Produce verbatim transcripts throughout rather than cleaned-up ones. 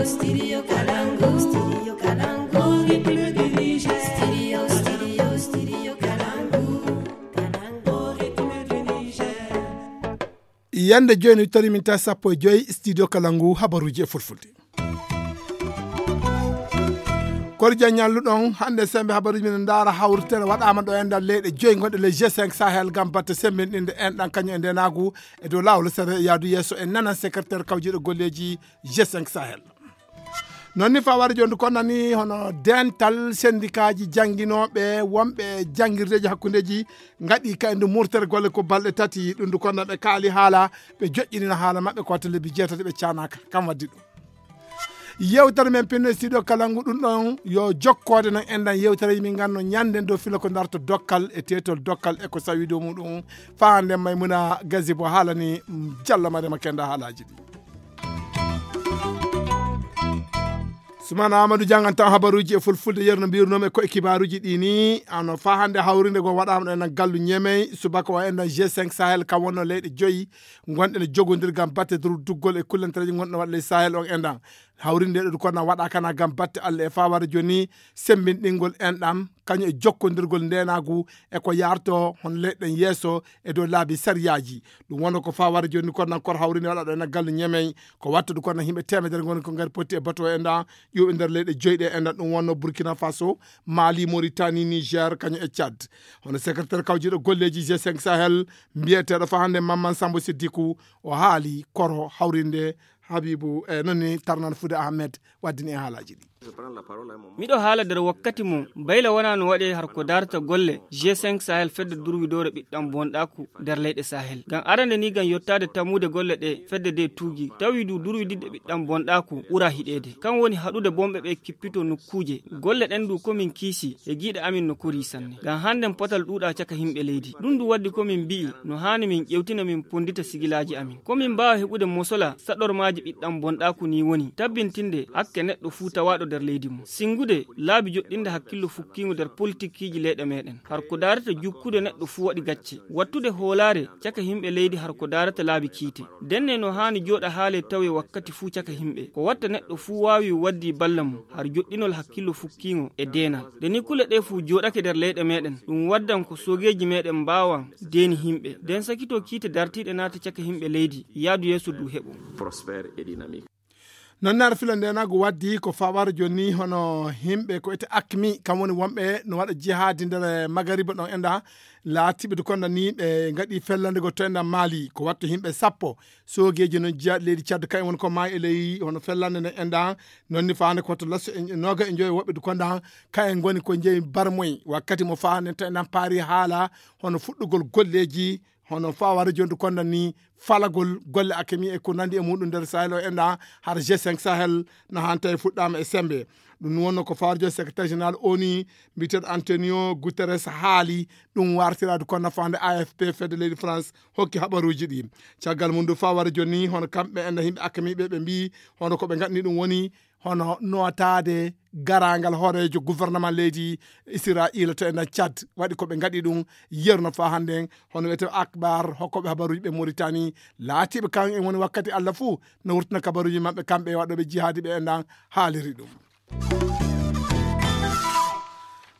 Studio Kalangu, Studio Kalangu, Republic du Niger. Studio, Studio, Studio Kalangu, Kalangu, Republic du Niger. Yande jooni tori min ta sappo e joyi studio kala ngu habaruuji e fulfulde. Kor jan ñalluɗon hannde sembe habaruuji min ndaara hawritere waɗaama ɗo e nder leyɗe joyi gonɗe ley G cinq Sahel ngam batte sembinɗinde enɗan kañum e ndenaagu e dow laawol sere yaadu yeeso e nanan secrétaire kawjiiɗo golleeji G cinq Sahel. Noon ni faware jooni ko nani hono dental sendikaaji jannginooɓe wonɓe janngirdeeji hakkundeeji ngaɗi kayndi murtere golle ko balɗe tati ɗum ndu konnaɓe kaali haala ɓe joƴƴinina haala maɓɓe ko watta lebbi jeetati ɓe caanaaka kam waddi ɗum. Yewtere men pinno e studio kala ngu ɗum ɗon yo jokkoode noon enɗan yewtere min nganno ñande dow filo ko darto dokkal e tetol dokkal e ko sawi dow muɗum. Faa hannde maymuna gazibo haalani jallo marema kenda haalaaji ɗi. Sumana amadou jangantan habaruuji e fulfulde yerno mbirnoomi e koye kibaaruuji ɗi ni ano faa hannde hawrinde go waɗaama ɗo enen gallu ñemey subaka o enɗan g cinq sahel kam wonno leyɗe joyi gonɗe ne jogondir gam batte durduggol e kullantareeji gonɗe waɗa ley sahel on enɗan. Hawrinde ɗo ko na waɗa kana gam batte allah e faa wara jooni sembinɗingol enɗan kañum e jokkondirgol ndenaagu e ko yarto hon leyɗen yeeso e dow laabi sariyaaji. Ɗum wonno ko faa wara jooni kono nan kor hawrinde waɗa ɗo ena gallu ñemey ko wattude kono yimɓe temedere ngoni ko ngari potti e bato e nda ƴuuɓe nder leyɗe joyɗe e nda ɗum wonno Burkina Faso, Mali, Mauritanie, Niger kañum e Tchad. Hono secrétaire kawjiiɗo golleeji g cinq sahel mbiyeteeɗo faa hannde Mamman Sambo Siddiku o haali koro hawrinde Habibu e noon ni tarnan Fude Ahmed waddini e haalaaji ɗi. Miɗo haala nder wakkati mo bayla wonaa no waɗee har ko daarata golle g cinq sahel fedde durwidoore ɓiɗɗam bonɗaaku nder leyɗe sahel ngam arande ni ngam yottaade tammude golle ɗe fedde nde tuugi tawi du durwididde ɓiɗɗam bonɗaaku ɓura hiɗeede kam woni haɗude bonɓe ɓe kippito nokkuuje golle ɗen du komin kiisi e giiɗe amin no korii sanne ngam hannden potal ɗuuɗaa caka yimɓe leydi ɗum du waddi komin mbi'i no haani min ƴewtina min ponndita sigilaaji amin komin mbaawa heɓude mosola saɗormaaji ɓiɗɗam bonɗaaku ni woni tabbintinde hakke neɗɗo fuu tawaaɗo nder leydi mum sinngude laabi joɗɗinde hakkillo fukkiingo nder politikkiiji leyɗe meɗen har ko daarata jukkude neɗɗo fuu waɗi gacce wattude hoolaare caka yimɓe leydi har ko daarata laabi kiite denne no haani jooɗa haale tawe wakkati fuu caka yimɓe ko watta neɗɗo fuu waawi waddi balla mum har joɗɗinol hakkillo fukkiingo e deenal nde ni kule ɗe fuu jooɗake nder leyɗe meɗen ɗum waddan ko soogeeji meɗen mbaawan deeni yimɓe nden sakito kiite dartiiɗe naata caka yimɓe leydi yaadu yeeso du heɓo. Prospère et dynamique. Noon naata filo ndenaagu waddi ko fawar jooni hono yimɓe ko ete akmi kam woni wonɓe no waɗa jihaadi nder magariba ɗon enda laatiɓe de konda ni ɓe ngaɗi fellande go to enda maali ko watto yimɓe sappo soogeeji noon jiyaaɗi leydi cadde kayen woni ko maayi e ley hono fellande nde enda noon ni faande ko to lasso e nooga e joyo woɓɓe de konda kayen ngoni ko jeyi barmoy wakkati mo faande to enda paari haala hono fuɗɗugol golleeji hono fawar jondu konda ni falagol golle akemi e ko nandi e muɗum nder sahel o enɗa har g cinq sahel no hanta e fuɗɗama e sembe ɗum wonno ko fawar jondi secrétaire général oni mbiteɗo antonio guterres haali ɗum wartirade kono fande afp fedde leydi france hokki haɓaruji ɗi caggal mum du fawar jonni hono kamɓe enɗa yimɓe akamiɓe ɓe mbi hono koɓe ganni ɗum woni hono notaade garangal hooreejo gouvernement leydi israila to enen cad waɗi ko ɓe ngaɗi ɗum yerno fa hannden hono wiyete akbar hokkoɓe habaruji ɓe moritani laatiɓe kan en woni wakkati allah fuu no wurtina kabaruji maɓɓe kamɓe e waɗoɓe jihaadi ɓe enɗan haaliri ɗum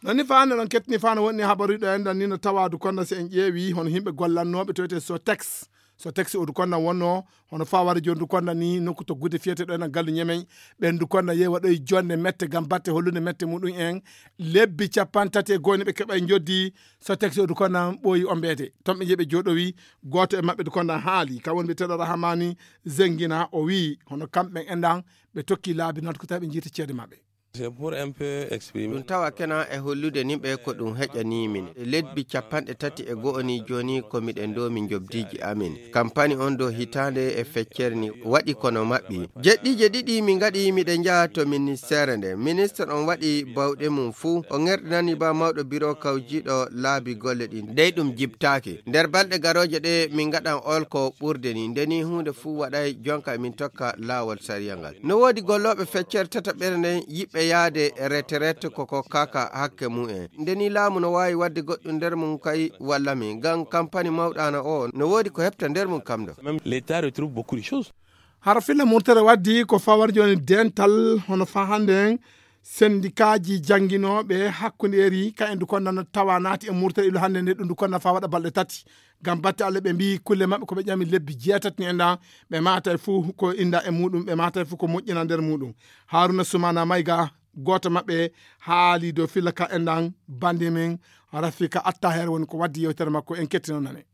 noni fa hannde ɗon kettini fa no wonni habaruji ɗo enɗan ni no tawadu konno so en ƴeewi hono yimɓe gollannoɓe to wiyete sotex so taxi odu konna wonno hono faware jondu konna ni nokku to gude fiyete ɗo ena gallu ñemey ɓendu konna yewa ɗo e jonde mette gam batte hollude mette muɗum en lebbi capanɗe tati e goyne ɓe keɓa e joddi so taxi odu konna ɓooyi ombeede ton ɓe jeeɓe jooɗowi gooto e maɓɓe du konna haali kam woni ɓe teɗo rahamani zengina o wi hono kamɓe enɗan ɓe tokki laabi noon ko tawi ɓe jiita ceede maɓɓe ɗum tawa kena e hollude nimɓe ko ɗum heƴani min lebbi capanɗe tati e go'o ni joni ko miɗen ɗo min jobdiji amin kampani on ɗo hitande e feccere ni waɗi kono maɓɓi jeɗɗije ɗiɗi mi gaɗi miɗe njaha to ministere nde ministre on waɗi bawɗe mum fuu o ŋerɗinani ba mawɗo biro kawjiɗo laabi golle ɗin dey ɗum jibtaki nder balɗe garoje ɗe min gaɗan olko ɓurde ni ndeni hunde fuu waɗay jonka min tokka laawol sariya ngal no woodi gollooɓe feccere tataɓere nden yiɗɓe yahde retraite ko kokkaaka hakke mumen nde ni laamu no waawi waɗde goɗɗum nder mum kay walla min ngam kampani mawɗaana o no woodi ko heɓta nder mum kam ɗo. Même l'État retrouve beaucoup de choses. Hara filla murtere waddi ko fawar joni dental hono fa hande en sendikaaji jannginooɓe hakkundeeri ka en du konna tawa naati e murtere ilo hannde nde ɗum du konna fa waɗa balɗe tati. Ngam batte allah ɓe mbi kulle maɓɓe ko ɓe ƴami lebbi jeetati ni enɗan ɓe maata e fuu ko inda e muɗum ɓe maata e fuu ko moƴƴina nder muɗum. Haruna sumana mayga gooto maɓɓe haali dow filla ka enɗan bande men rafika attaher woni ko waddi yewtere makko en kettino nane.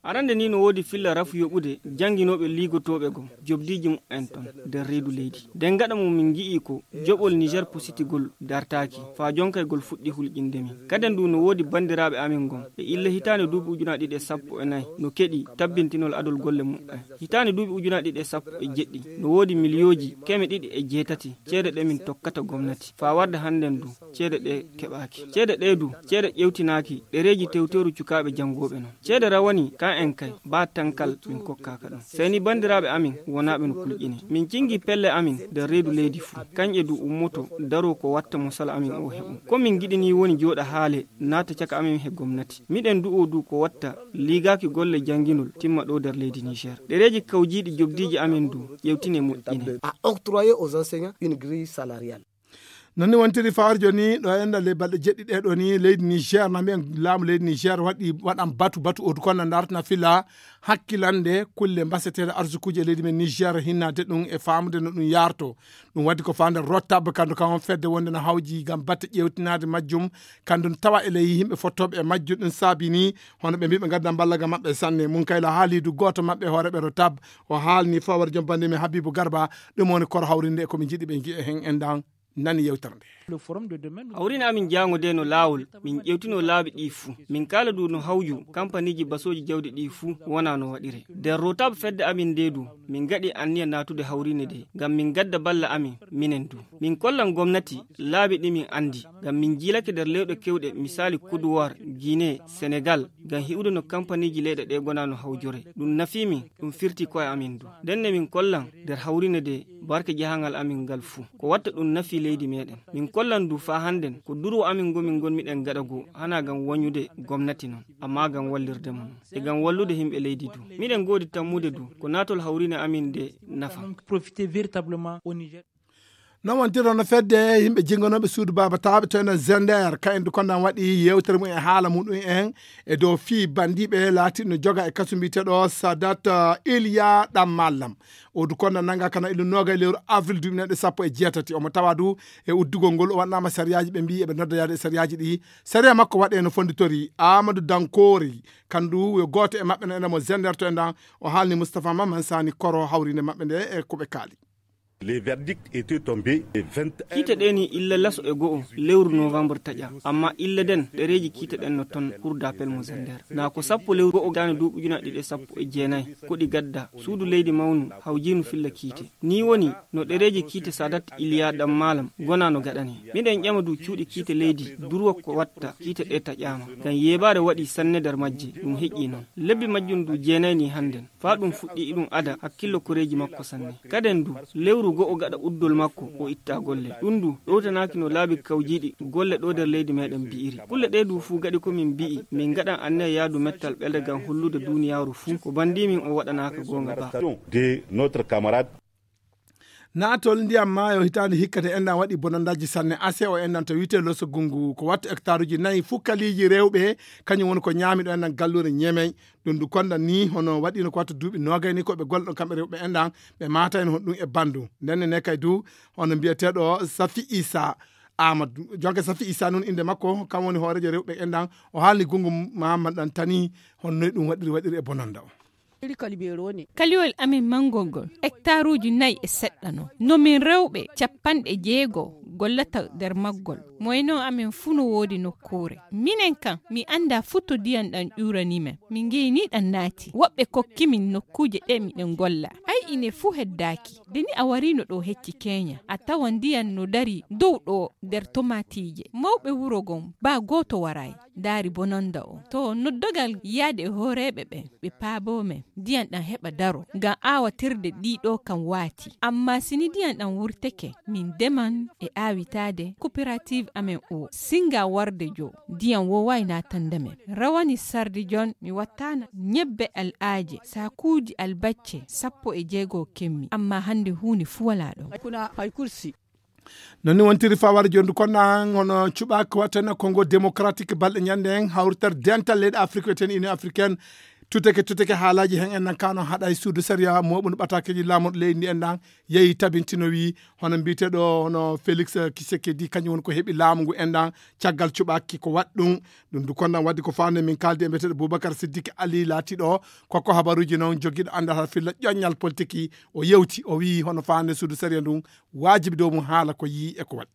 Arande ni no woodi filla rafu yoɓude jannginooɓe liigotooɓe gom jobdiiji mumen ton nder reedu leydi. Nden gaɗa mo min ngi'i ko joɓol niger positigol dartaaki faa jonkaygol fuɗɗi hulƴinde min. Kaden du no woodi banndiraaɓe amin gom e illa hitaande duuɓi ujunaaji ɗiɗi e sappo e nayi no keɗi tabbintinol adol golle mumen. Hitaande duuɓi ujunaaji ɗiɗi e sappo e jeɗɗi no woodi miliyooji keme ɗiɗi e jeetati ceede ɗe min tokkata gomnati faa warde hannden du ceede ɗe keɓaaki. Ceede ɗe du ceede ƴewtinaaki ɗereeji tewteeru cukaaɓe janngooɓe non. Ceede rawani ka en kay baa tankal min kokkaaka ɗum. Sey ni banndiraaɓe amin wonaaɓe no kulƴine. Min cinngi pelle amin nder reedu leydi fuu. Kañƴe du ummoto daroo ko watta mo sala amin o heɓu. Ko min ngiɗi ni woni jooɗa haale naata caka amin he gomnati. Miɗen du'oo du ko watta liigaaki golle jannginol timma ɗo nder leydi Niger. Ɗereeji kawjiiɗi jobdiiji amin du ƴewtine moƴƴine. Non ni wontiri fawar joni ɗo enɗa ley balɗe jeɗɗi ɗe ɗo ni leydi niger na mbiyen laamu leydi niger waɗi waɗan batu batu odu konna dartana fila hakkilande kulle mbaseteɗe arsukuji e leydi men niger hinnade ɗum e famude no ɗum yarto. Ɗum waddi ko fande rotab kandu kan on fedde wonde no hawji gam batte ƴewtinade majjum. Kandu tawa e ley yimɓe fottoɓe e majjum ɗum saabini hono ɓe mbiɓe gadda mballa gam maɓɓe sanne mum kayla haalidu goto maɓɓe hooreɓe rotab. O haalni fawar jombande men habibu garba. Ɗum woni koro hawrinde e komi jiɗi ɓe jiya hen endan nani yewtere nde. Hawrina amin jaango de no laawol min ƴewtino laabi ɗi fuu. Min kaala du no hawju kampaniiji basooji jawdi ɗi fuu wona no waɗire nder rotab fedde amin nde du. Min gaɗi anniya naatude hawrine de ngam min gadda balla amin minen du. Min kollan gomnati laabi ɗi min anndi ngam min jiilake nder lewɗe kewɗe misaali kuduwar, guinee, senegal, ngam hi'ude no kampaniiji leyɗe ɗe gona no hawjore. Ɗum nafi min. Ɗum firti koye amin du ndenne min kollan nder hawrine de barke jahangal amin ngal fuu. Ko watta ɗum nafi leydi meɗen. Min kollan du faa hannden ko durwo amin ngo min ngonmiɗen gaɗa goo hanaa ngam wanyude gomnati non, ammaa ngam wallirde mo non e ngam wallude himɓe leydi du. Miɗen ngoodi tammude du ko naatol hawrine amin nde nafa. Non wontiro no fedde yimɓe jinnganoɓe suudu baaba taaɓe to enen zender ka en du kondan waɗi yewtere mum e haala muɗum en e dow fii bandiɓe laatiɗo no joga e kasu mbiyeteɗo sadat iliya ɗam mallam. O du kondan nanga kana illu noga e lewru avril duuɓi neɗɗo sappo e jeetati omo tawa du e uddugol ngol o waɗnama sariyaji ɓe mbi eɓe nodda yaade e sariyaji ɗi. Sariya makko waɗe no fonditori amadou dankori kandu yo gooto e maɓɓe no enen mo zender to endan. O haalni moustapha mamman sani koro hawrinde maɓɓe nde e koɓe kaali. Les verdicts étaient tombés le vingt et un. Kiite ɗe ni illa laso e go'o lewru novembre taƴa. Amma illa den ɗereeji kiite ɗen no ton cour d'appel mo zander na ko sappo lewru go'o gane duuɓi ujuna ɗiɗi e sappo e jeenayi. Koɗi gadda suudu leydi mawnu hawjinu filla kiite. Ni woni no ɗereeji kiite sadat iliya ɗam malam gona no gaɗane. Miɗen ƴama du cuuɗi kiite leydi durwa ko watta kiite ɗe taƴama ngam yeebaare waɗi sanne nder majje. Ɗum heƴƴi non lebbi majjum du jeenayi ni hannden. Faa ɗum fuɗɗi iɗum ada hakkillo koreeji makko sanne. Kaden du lewru go'o gaɗa uddol makko o itta golle. Ɗum du ɗowtanaaki no laabi kawjiiɗi golle ɗo nder leydi meɗen mbi'iri. Kulle ɗe du fuu gaɗi ko min mbi'i min ngaɗan anniya yaadu mettal ɓelde ngam hollude duuniyaaru fuu ko bandimin o waɗanaaka goonga ba. De notre camarade. Naatol ndiyam maayo hitaande hikka nde enɗan waɗi bonondaaji sanne ase o enɗan to wiyetee loso gungu ko wattu hectaruuji nayi fukkaliiji rewɓe. Kañum woni ko ñaami ɗo enɗan galluure ñemey. Ɗum ndu konɗan ni hono waɗiino ko wattu duuɓi noogay ni ko ɓe golle ɗon kamɓe rewɓe enɗan ɓe maata en honɗum e banndu. Ndenne ne kay du hono mbiyeteeɗo safi isa amadou jonka safi isa noon innde makko kam woni hooreejo rewɓe enɗan. O haalni gungu mahammaɗan tani honnoy ɗum waɗiri waɗiri e bononda o. Kaliwol amin manngol ngol hectaruuji nayi e seɗɗa non no min rewɓe capanɗe jeego gollata nder maggol. Moyno amin fuu no woodi nokkuure. Minen kam mi anndaa fuu to ndiyam ɗam ƴuuranii men. Min ngeyni ɗam naati woɓɓe kokki min nokkuuje ɗe miɗen ngolla. Ay ine fuu heddaaki. Nde ni a wariino ɗo hecci keenya a tawan ndiyam no darii dow ɗo nder tomaatiije. Mawɓe wuro ngon baa gooto waraay. Ndaari bononnda o to noddogal yaade e hooreeɓe ɓen ɓe paaboo men ndiyam ɗam heɓa daroo ngam aawatirde ɗii ɗoo kam waatii. Ammaa si ni ndiyam ɗam wurteke min ndeman e aawitaade kooperativ. amen o singa warde jo, ndiyam woowaay naatande men. Rawani sardi jon, mi wattaana ñebbe al'aaje, saakuuji albacce sappo e jeego kemmi, amma hannde huunde fuu walaa ɗon. Noon ni wontiri fawar jondu konna hono cuɓaak wattana Kongo Démocratique balɗe ñande en hawrital dental leyɗe Afrique wiyeten Union Africaine. Tuteke tuteke haalaji hen en nan kano haɗa e suudu sariya moɓunu ɓatakeji laamuɗo leydi ndi en nan yehi tabintino wi hono mbiyeteɗo hono Félix Tshisekedi kañum woni ko heɓi laamu ngu en nan caggal cuɓaki ko waɗ ɗum. Ɗum du konnan waddi ko fande min kaldi e mbiyeteɗo Boubacar Siddique Ali laatiɗo kokko habaruji noon jogiɗo andal ha filla ƴoññal politique. O yewti o wi hono fande suudu sariya ndun wajibi dow mum haala ko yii e ko waɗi.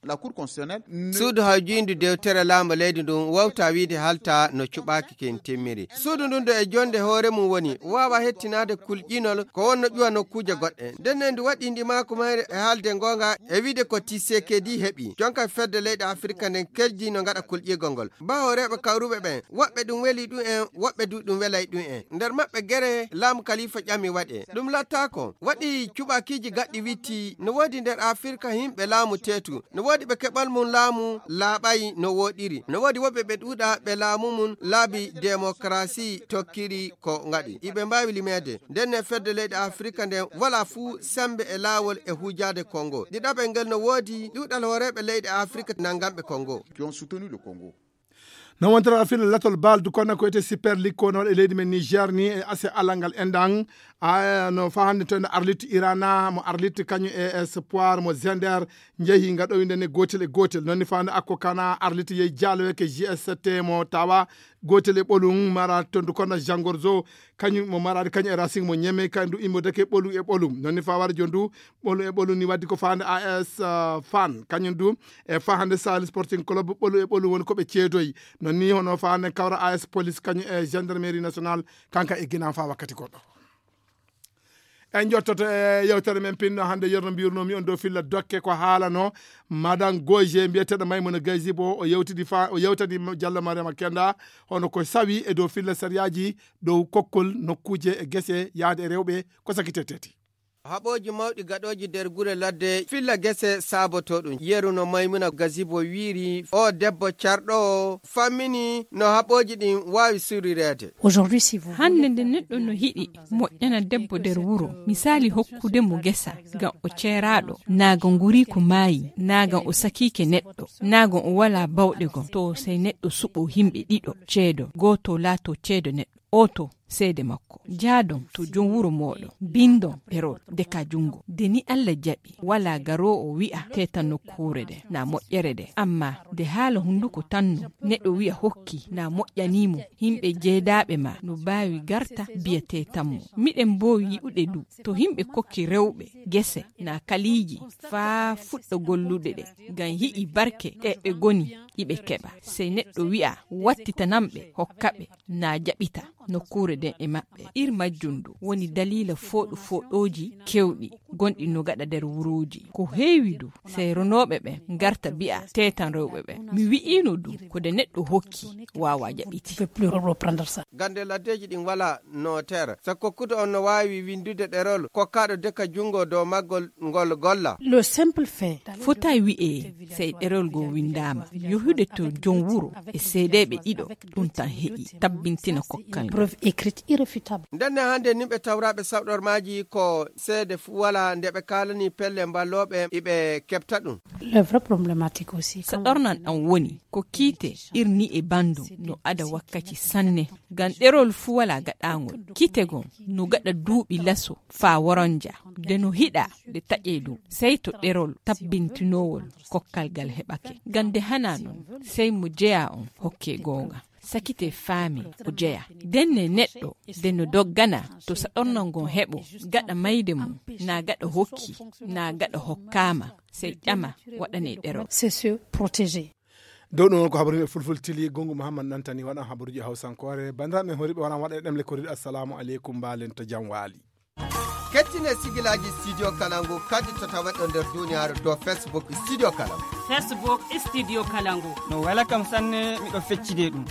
La Cour constitutionnelle ne- Suudu hawjiindu dewtere laamu leydi ndun wawta wiide halta no cuɓaaki kin timmiri. Suudu ndun do e jonde hoore mum woni waawa hettinaade kulƴinol ko wonno ƴuwa nokkuuje goɗɗe. Nden ne ndu waɗi ndi maaku mayre e haalde ngoonga e wiide ko Tshisekedi heɓi. Jonka fedde leyɗe Afirka nden kerji no ngaɗa kulƴigol ngol. Ba hooreeɓe kawruɓe ɓen, woɓɓe ɗum weli ɗum en, woɓɓe du ɗum welay ɗum en. Nder maɓɓe gere laamu kalifa ƴami waɗe. Ɗum lattaako. Waɗi cuɓakiiji gaɗɗi witti. No woodi nder Afirka yimɓe laamu teetu. No woodi ɓe keɓal mum laamu laaɓay no wooɗiri. No woodi woɓɓe ɓe ɗuuɗa ɓe laamu mum laabi demokarasi tokkiri ko ngaɗi. Iɓe mbaawi limeede. Nden ne fedde leyɗe Afirka nden wala fuu sembe e laawol e huujaade Kongo. Ɗiɗaɓel ngel no woodi ɗuuɗal hooreeɓe leyɗe Afirka nanganɓe Kongo. Qui ont soutenu le Congo. No wontata fila latol baldu kono ko ete Super League ko noon e leydi men Niger ni e ase alangal endan. A no fahande to en Arlit Irana mo Arlit kañum e Espoir mo Zender njehi ngaɗo winde ne gotel e gotel. Noon ni fahande akko kana Arlit yehi jalo ke G S T mo tawa gotel e ɓolum mara tondu kono Jangorzo kañum mo maraade kañum e Racing mo Ñeme kañum du immodeke ɓolu e ɓolum. Noon ni faware jon du ɓolu e ɓolu ni waddi ko fahande A S, uh, Fan kañum du e fahande Sahel Sporting Club ɓolu e ɓolu woni ko ɓe ceedoyi. Noon ni hono fahande kawra A S Police kañum e Gendarmerie Nationale kanka e Guinée fa wakkati goɗɗo. En jottoto e yewtere men pinno hannde yerno mbirnomi on dow filla dokke ko haalano Madame Goje mbiyeteɗo Maymuna Gaysibo o yewtidi fa o yewtani Diallo Mariama Kenda hono ko sawi e dow filla sariyaji dow kokkol nokkuje e gese yaade e rewɓe ko sakite teti. Haɓooji mawɗi gaɗooji nder gure ladde filla gese saaboto ɗum. Yeru no Maymuna Gasibo wiiri, o debbo carɗo o fammini no haɓooji ɗin waawi surireede. Aujourd'hui, si vous Hannde nde neɗɗo no hiɗi moƴƴana debbo nder wuro, misali hokkude mo gesa ngam o ceeraaɗo, naaga ngurii ko maayi, naaga o sakiike neɗɗo, naaga o walaa bawɗe gom, to sey neɗɗo suɓo himɓe ɗiɗo ceedo, gooto laato ceedo neɗɗo. Oto seede makko. Jaadon to jom wuro mooɗon, bindon ɗerol, deka jungo. De ni Alla jaɓi, walaa garoowo wi'a teeta nokkuure de, na moƴƴere de. Amma de haala hunduko tan no, neɗɗo wi'a hokki, na moƴƴanii mo, himɓe jeedaaɓe ma no baawi garta biya teetan mo. Miɗen mboowi yi'ude du, to himɓe kokki rewɓe gese, na kaliiji, faa fuɗɗa gollude ɗe, ngam yi'i barke ɗe ɓe goni, iɓe keɓa. Sey neɗɗo wi'a, wattitanam ɓe, hokka ɓe. Na jaɓita nokkuure nden e maɓɓe. Ir majjum du woni daliila fooɗu fooɗooji kewɗi gonɗi no gaɗa nder wuruuji. Ko heewi du, sey ronooɓe ɓen ngarta mbi'a teetan rewɓe ɓen. Mi wi'iino du, ko nde neɗɗo hokki, waawaa jaɓiti. Peut plus reprendre ça. Gande laddeeji ɗin walaa noter. Sa kokkude on no waawi windude ɗerol, kokkaaɗo deka jungo dow maggol ngol golla. Le simple fait. Fotaay wi'ee, sey ɗerol goo windaama, yohude to jom wuro e seedeeɓe ɗiɗo, ɗum tan heƴi tabbintina kokkal ngal. Preuve écrite irréfutable. Ndenne hannde nimɓe tawraaɓe sawɗormaaji ko seede fuu walaa nde ɓe kaalani pelle mballooɓe iɓe keɓta ɗum. Le vrai problématique aussi, sa quand ɗornan ɗan woni ko kiite irni e banndum no ada wakkaci sanne, ngam ɗerol fuu walaa gaɗaangol. Kiite gon no gaɗa duuɓi laso faa woronja. Nde no hiɗa nde taƴee ɗum, sey to ɗerol tabbintinoowol kokkal ngal heɓake. Ngam nde hanaa non, sey mo jeyaa on hokkee goonga. Sakitee faamee o jeyaa. Ndenne neɗɗo nde no doggana to sa ɗornan ngon heɓo, gaɗa mayde mum, naa gaɗa hokki, naa gaɗa hokkaama, sey ƴama waɗanee ɗerol. C'est se protéger. Dow ɗum woni ko habaruji fulfulde tili, Gongu Muhammad nantani waɗan habaruji hawsankoore. Banndiraaɓe men horiiɓe wona waɗa e ɗemle koriiɗe, assalamu aleykum, mbaalen to jam waali. Kettine sigilaaji Studio Kalangu kadi to taweɗo nder duniyaaru dow Facebook Studio Kalangu. Facebook Studio Kalangu. No wela kam sanne, miɗo feccide ɗum.